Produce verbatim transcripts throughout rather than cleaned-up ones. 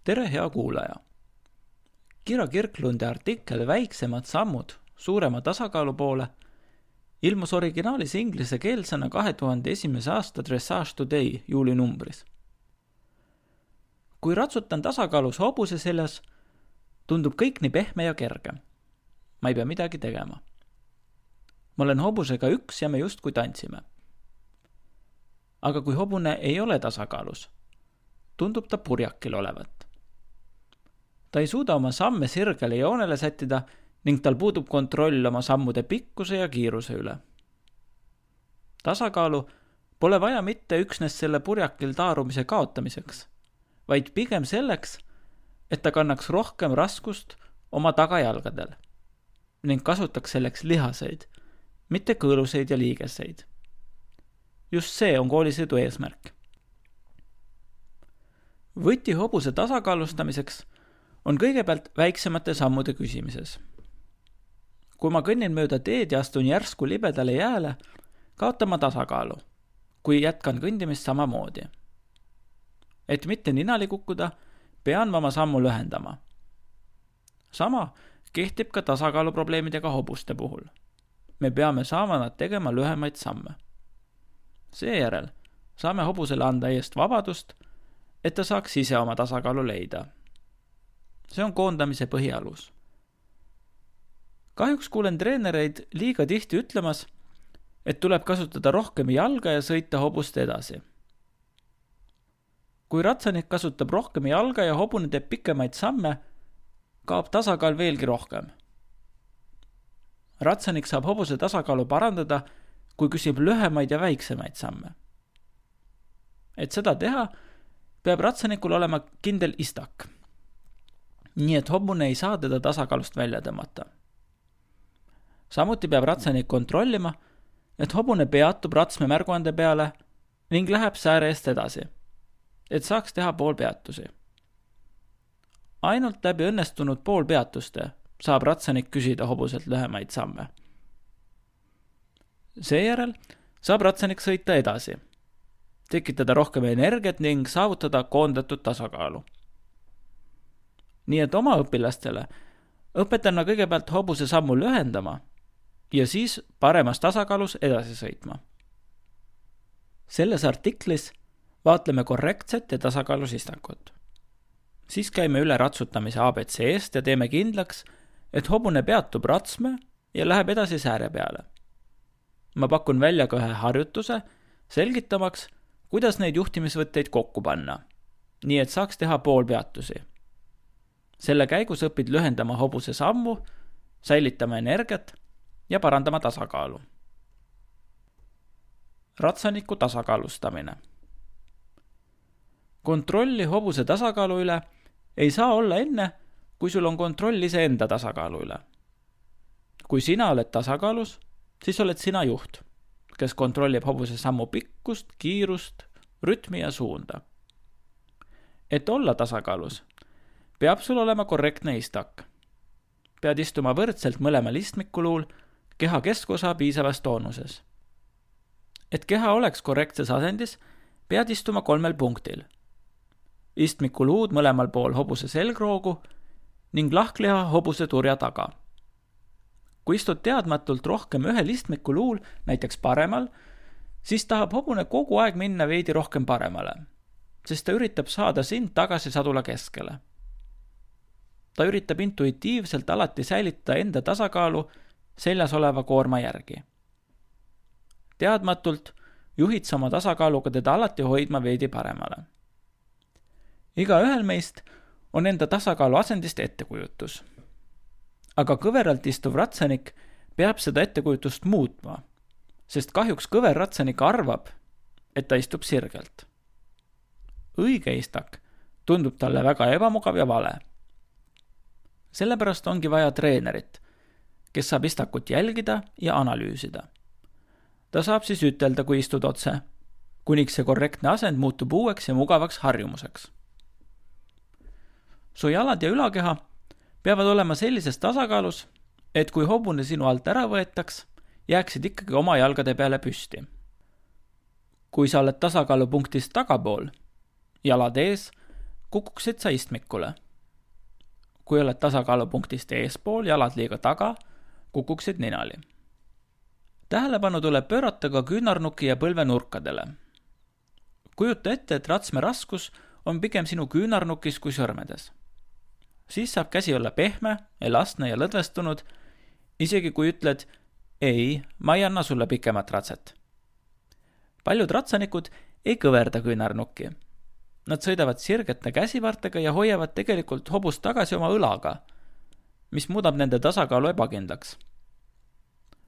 Tere, hea kuulaja! Kira Kirklundi artikkel Väiksemad sammud suurema tasakaalu poole ilmus originaalis inglisekeelsena kahe tuhande esimese aasta Dressage Today juulinumbris. Kui ratsutan tasakaalus hobuse seljas, tundub kõik nii pehme ja kerge. Ma ei pea midagi tegema. Ma olen hobusega üks ja me justkui tantsime. Aga kui hobune ei ole tasakaalus, tundub ta purjakil olevat. Ta ei suuda oma samme sirgele joonele sättida ning tal puudub kontroll oma sammude pikkuse ja kiiruse üle. Tasakaalu pole vaja mitte üksnes selle purjakil taarumise kaotamiseks, vaid pigem selleks, et ta kannaks rohkem raskust oma tagajalgadel ning kasutaks selleks lihaseid, mitte kõõluseid ja liigeseid. Just see on koolisõidu eesmärk. Võti hobuse tasakaalustamiseks on kõigepealt väiksemate sammude küsimises. Kui ma kõnnin mööda teed ja astun järsku libedale jääle, kaotan ma tasakaalu, kui jätkan kõndimist samamoodi. Et mitte ninali kukkuda, pean ma oma sammu lühendama. Sama kehtib ka tasakaaluprobleemidega hobuste puhul. Me peame saama nad tegema lühemaid samme. Seejärel saame hobusele anda eest vabadust, et ta saaks ise oma tasakaalu leida. See on koondamise põhialus. Kahjuks kuulen treenereid liiga tihti ütlemas, et tuleb kasutada rohkem jalga ja sõita hobust edasi. Kui ratsanik kasutab rohkem jalga ja hobune teeb pikemaid samme, kaob tasakaal veelgi rohkem. Ratsanik saab hobuse tasakaalu parandada, kui küsib lühemaid ja väiksemaid samme. Et seda teha, peab ratsanikul olema kindel istak, nii et hobune ei saa teda tasakaalust välja tõmmata. Samuti peab ratsanik kontrollima, et hobune peatub ratsme märguande peale ning läheb sääre eest edasi, et saaks teha poolpeatusi. Ainult läbi õnnestunud poolpeatuste saab ratsanik küsida hobuselt lühemaid samme. Seejärel saab ratsanik sõita edasi, tekitada rohkem energiat ning saavutada koondatud tasakaalu. Nii et oma õpilastele õpetan ma kõigepealt hobuse sammu lühendama ja siis paremas tasakaalus edasi sõitma. Selles artiklis vaatleme korrektset ja tasakaalus istakut. Siis käime üle ratsutamise A B C eest ja teeme kindlaks, et hobune peatub ratsme ja läheb edasi sääre peale. Ma pakun välja ka ühe harjutuse, selgitamaks, kuidas neid juhtimisvõtteid kokku panna, nii et saaks teha poolpeatusi. Selle käigus õpid lühendama hobuse sammu, säilitama energiat ja parandama tasakaalu. Ratsaniku tasakaalustamine. Kontrolli hobuse tasakaalu üle ei saa olla enne, kui sul on kontroll ise enda tasakaalu üle. Kui sina oled tasakaalus, siis oled sina juht, kes kontrollib hobuse sammu pikkust, kiirust, rütmi ja suunda. Et olla tasakaalus, peab sul olema korrektne istak. Pead istuma võrdselt mõlemal istmikuluul, keha keskosa piisavas toonuses. Et keha oleks korrektses asendis, pead istuma kolmel punktil. Istmikuluud mõlemal pool hobuse selgroogu ning lahkliha hobuse turja taga. Kui istud teadmatult rohkem ühel istmikuluul, näiteks paremal, siis tahab hobune kogu aeg minna veidi rohkem paremale, sest ta üritab saada sind tagasi sadula keskele. Ta üritab intuitiivselt alati säilitada enda tasakaalu seljas oleva koorma järgi. Teadmatult juhid sa oma tasakaaluga teda alati hoidma veidi paremale. Iga ühel meist on enda tasakaalu asendist ettekujutus. Aga kõveralt istuv ratsanik peab seda ettekujutust muutma, sest kahjuks kõver ratsanik arvab, et ta istub sirgelt. Õige istak tundub talle väga ebamugav ja vale. Sellepärast ongi vaja treenerit, kes saab istakut jälgida ja analüüsida. Ta saab siis ütelda, kui istud otse, kuniks see korrektne asend muutub uueks ja mugavaks harjumuseks. Su jalad ja ülakeha peavad olema sellises tasakaalus, et kui hobune sinu alt ära võetaks, jääksid ikkagi oma jalgade peale püsti. Kui sa oled tasakaalupunktist tagapool, jalad ees, kukuksid sa istmikule. Kui oled tasakaalupunktist eespool, jalad liiga taga, kukuksid ninali. Tähelepanu tuleb pöörata ka küünarnuki ja põlve nurkadele. Kujuta ette, et ratsme raskus on pigem sinu küünarnukis kui sõrmedes. Siis saab käsi olla pehme, elastne ja lõdvestunud, isegi kui ütled, ei, ma ei anna sulle pikemat ratset. Paljud ratsanikud ei kõverda küünarnukki. Nad sõidavad sirgete käsivartega ja hoiavad tegelikult hobust tagasi oma õlaga, mis muudab nende tasakaalu ebakindlaks.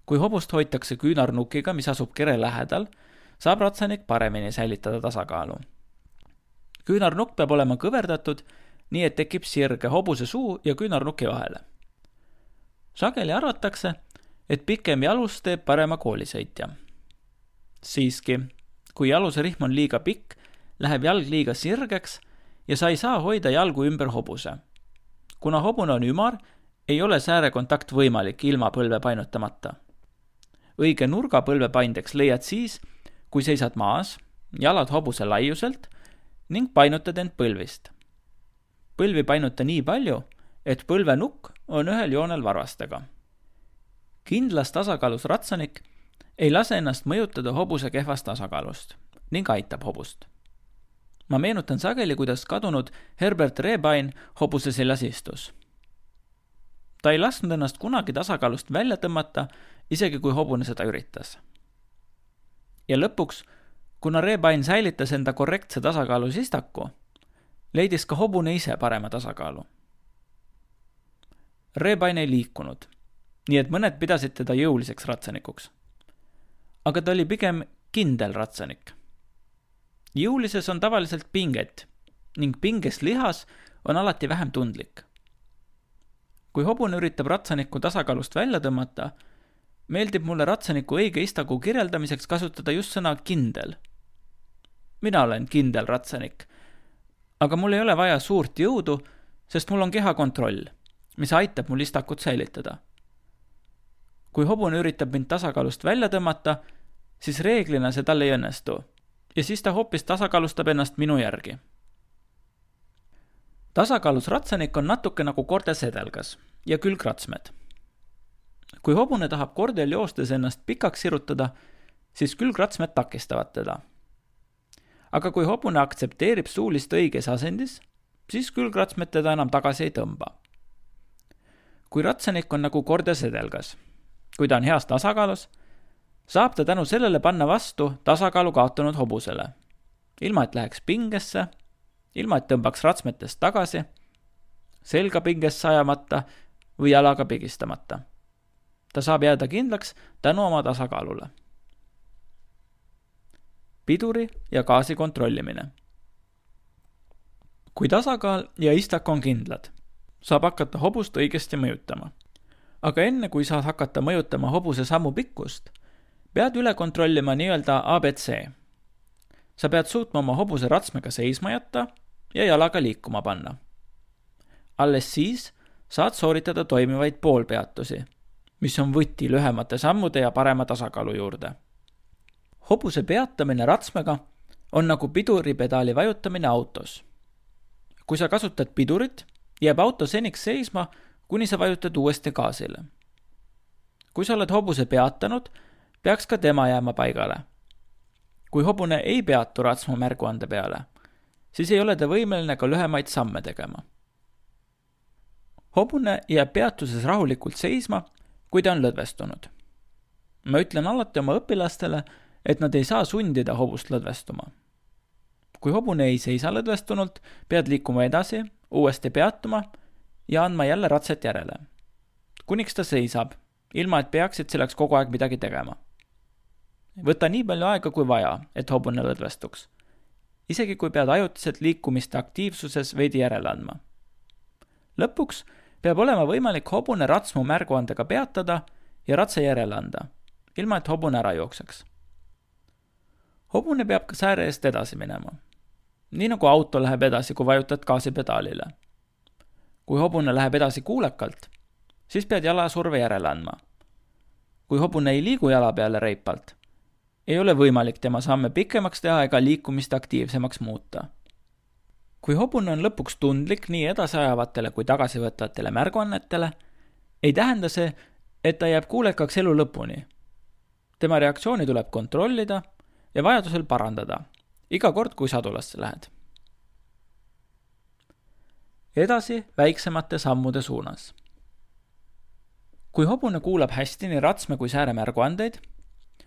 Kui hobust hoitakse küünarnukiga, mis asub kere lähedal, saab ratsanik paremini säilitada tasakaalu. Küünarnukk peab olema kõverdatud, nii et tekib sirge hobuse suu ja küünarnuki vahele. Sageli arvatakse, et pikem jalus teeb parema koolisõitja. Siiski, kui jaluse rihm on liiga pikk, läheb jalg liiga sirgeks ja sa ei saa hoida jalgu ümber hobuse. Kuna hobune on ümar, ei ole säärekontakt võimalik ilma põlve painutamata. Õige nurga põlve paindeks leiad siis, kui seisad maas, jalad hobuse laiuselt ning painutad end põlvist. Põlvi painuta nii palju, et põlve nukk on ühel joonel varvastega. Kindlas tasakaalus ratsanik ei lase ennast mõjutada hobuse kehvast tasakaalust ning aitab hobust. Ma meenutan sageli, kuidas kadunud Herbert Rehbein hobuse seljas istus. Ta ei lasknud ennast kunagi tasakaalust välja tõmmata, isegi kui hobune seda üritas. Ja lõpuks, kuna Rehbein säilitas enda korrektse tasakaalu sistaku, leidis ka hobune ise parema tasakaalu. Rehbein ei liikunud, nii et mõned pidasid teda jõuliseks ratsanikuks. Aga ta oli pigem kindel ratsanik. Jõulises on tavaliselt pinget ning pinges lihas on alati vähem tundlik. Kui hobune üritab ratsanikku tasakaalust välja tõmmata, meeldib mulle ratsaniku õige istaku kirjeldamiseks kasutada just sõna kindel. Mina olen kindel ratsanik, aga mul ei ole vaja suurt jõudu, sest mul on kehakontroll, mis aitab mul istakut säilitada. Kui hobune üritab mind tasakaalust välja tõmmata, siis reeglina see tal ei õnnestu ja siis ta hoopis tasakaalustab ennast minu järgi. Tasakaalus ratsanik on natuke nagu kordesedelgas ja külgratsmed. Kui hobune tahab kordel joostes ennast pikaks sirutada, siis külgratsmed takistavad teda. Aga kui hobune aktsepteerib suulist õiges asendis, siis külgratsmed teda enam tagasi ei tõmba. Kui ratsanik on nagu kordesedelgas, kui ta on heas tasakaalus, saab ta tänu sellele panna vastu tasakaalu kaotanud hobusele, ilma et läheks pingesse, ilma et tõmbaks ratsmetest tagasi, selga pingest sajamata või jalaga pigistamata. Ta saab jääda kindlaks tänu oma tasakaalule. Piduri ja gaasi kontrollimine. Kui tasakaal ja istak on kindlad, saab hakata hobust õigesti mõjutama. Aga enne kui saad hakata mõjutama hobuse sammu pikkust, pead üle kontrollima nii-öelda A B C. Sa pead suutma oma hobuse ratsmega seisma jätta ja jalaga liikuma panna. Alles siis saad sooritada toimivaid poolpeatusi, mis on võti lühemate sammude ja parema tasakaalu juurde. Hobuse peatamine ratsmega on nagu piduripedaali vajutamine autos. Kui sa kasutad pidurit, jääb auto seniks seisma, kuni sa vajutad uuesti gaasile. Kui sa oled hobuse peatanud, peaks ka tema jääma paigale. Kui hobune ei peatu ratsmu märguande peale, siis ei ole ta võimeline ka lühemaid samme tegema. Hobune jääb peatuses rahulikult seisma, kui ta on lõdvestunud. Ma ütlen alati oma õpilastele, et nad ei saa sundida hobust lõdvestuma. Kui hobune ei seisa lõdvestunult, pead liikuma edasi, uuesti peatuma ja andma jälle ratset järele. Kuniks ta seisab, ilma et peaksid selleks kogu aeg midagi tegema. Võta nii palju aega kui vaja, et hobune lõdvestuks. Isegi kui pead ajutiselt liikumiste aktiivsuses veidi järele andma. Lõpuks peab olema võimalik hobune ratsmu märguandega peatada ja ratse järele anda, ilma et hobune ära jookseks. Hobune peab ka sääre eest edasi minema. Nii nagu auto läheb edasi, kui vajutad gaasipedaalile. Kui hobune läheb edasi kuulekalt, siis pead jalasurve järele andma. Kui hobune ei liigu jala peale reipalt, ei ole võimalik tema samme pikemaks teha ega liikumist aktiivsemaks muuta. kui hobune on lõpuks tundlik nii edasiajavatele kui tagasivõtvatele märguannetele, ei tähenda see, et ta jääb kuulekaks elu lõpuni. Tema reaktsiooni tuleb kontrollida ja vajadusel parandada, iga kord, kui sadulasse lähed. Edasi väiksemate sammude suunas. Kui hobune kuulab hästi nii ratsme kui sääre märguandeid,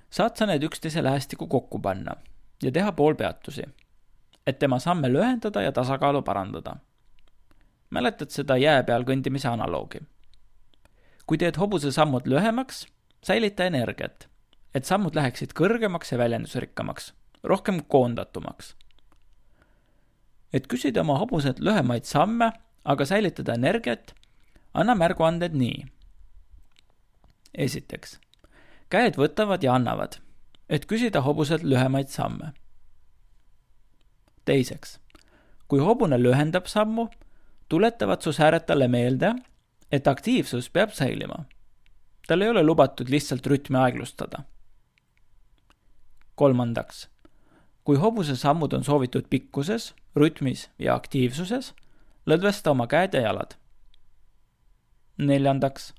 saad sa need üksteise lähestikku kokku panna ja teha poolpeatusi, et tema samme lühendada ja tasakaalu parandada. Mäletad seda jää peal kõndimise analoogi. Kui teed hobuse sammud lühemaks, säilita energiat, et sammud läheksid kõrgemaks ja väljendusrikkamaks, rohkem koondatumaks. Et küsida oma hobuselt lühemaid samme, aga säilitada energiat, anna märguanded nii. Esiteks, käed võtavad ja annavad, et küsida hobuselt lühemaid samme. Teiseks, kui hobune lühendab sammu, tuletavad su sääred talle meelde, et aktiivsus peab säilima. Tal ei ole lubatud lihtsalt rütmi aeglustada. Kolmandaks, kui hobuse sammud on soovitud pikkuses, rütmis ja aktiivsuses, lõdvesta oma käed ja jalad. Neljandaks,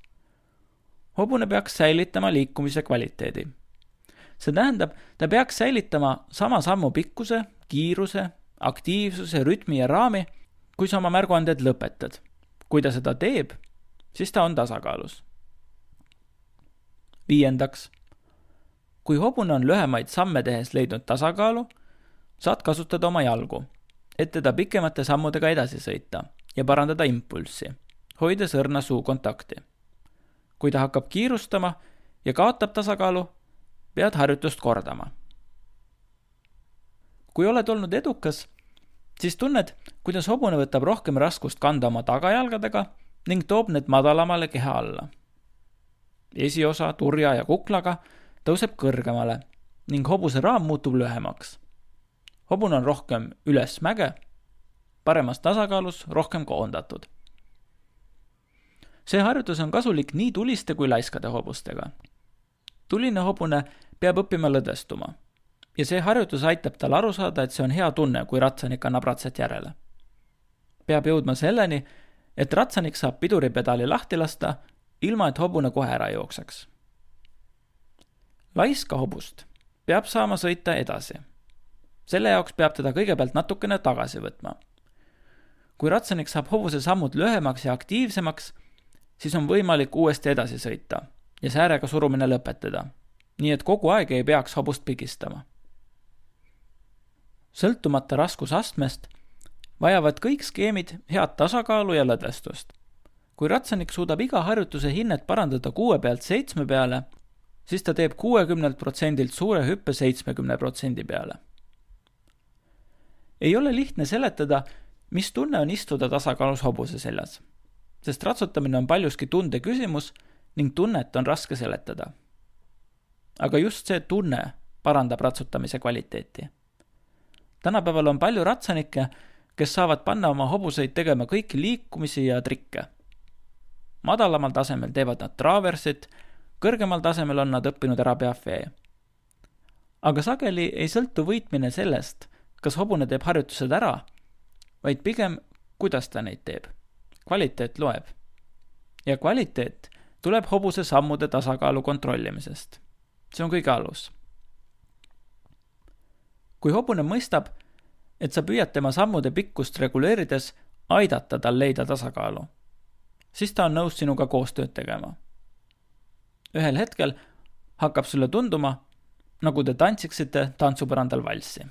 hobune peaks säilitama liikumise kvaliteedi. See tähendab, ta peaks säilitama sama sammu pikkuse, kiiruse, aktiivsuse, rütmi ja raami, kui sa oma märguanded lõpetad. Kui ta seda teeb, siis ta on tasakaalus. Viiendaks, kui hobune on lühemaid samme tehes leidnud tasakaalu, saad kasutada oma jalgu, et teda pikemate sammudega edasi sõita ja parandada impulssi, hoides õrna suu kontakti. Kui ta hakkab kiirustama ja kaotab tasakaalu, pead harjutust kordama. Kui oled olnud edukas, siis tunned, kuidas hobune võtab rohkem raskust kanda oma tagajalgadega ning toob need madalamale keha alla. Esiosa, turja ja kuklaga tõuseb kõrgemale ning hobuse raam muutub lühemaks. Hobune on rohkem üles mäge, paremas tasakaalus rohkem koondatud. See harjutus on kasulik nii tuliste kui laiskade hobustega. Tuline hobune peab õppima lõdvestuma ja see harjutus aitab tal aru saada, et see on hea tunne, kui ratsanik annab ratsat järele. Peab jõudma selleni, et ratsanik saab piduripedali lahti lasta, ilma et hobune kohe ära jookseks. Laiska hobust peab saama sõita edasi. Selle jaoks peab teda kõigepealt natukene tagasi võtma. Kui ratsanik saab hobuse sammud lühemaks ja aktiivsemaks, siis on võimalik uuesti edasi sõita ja säärega surumine lõpetada, nii et kogu aeg ei peaks hobust pigistama. Sõltumata raskusastmest vajavad kõik skeemid head tasakaalu ja lõdvestust. Kui ratsanik suudab iga harjutuse hinnet parandada kuue pealt seitsme peale, siis ta teeb kuuekümnelt protsendilt suure hüppe seitsmekümne protsendi peale. Ei ole lihtne seletada, mis tunne on istuda tasakaalus hobuse seljas, sest ratsutamine on paljuski tunde küsimus ning tunnet on raske seletada. Aga just see tunne parandab ratsutamise kvaliteeti. Tänapäeval on palju ratsanikke, kes saavad panna oma hobuseid tegema kõiki liikumisi ja trikke. Madalamal tasemel teevad nad traversit, kõrgemal tasemel on nad õppinud ära piafee. Aga sageli ei sõltu võitmine sellest, kas hobune teeb harjutused ära, vaid pigem, kuidas ta neid teeb. Kvaliteet loeb. Ja kvaliteet tuleb hobuse sammude tasakaalu kontrollimisest. See on kõige alus. Kui hobune mõistab, et sa püüad tema sammude pikkust reguleerides aidata tal leida tasakaalu, siis ta on nõus sinuga koostööd tegema. Ühel hetkel hakkab sulle tunduma, nagu te tantsiksite tantsupõrandal valssi.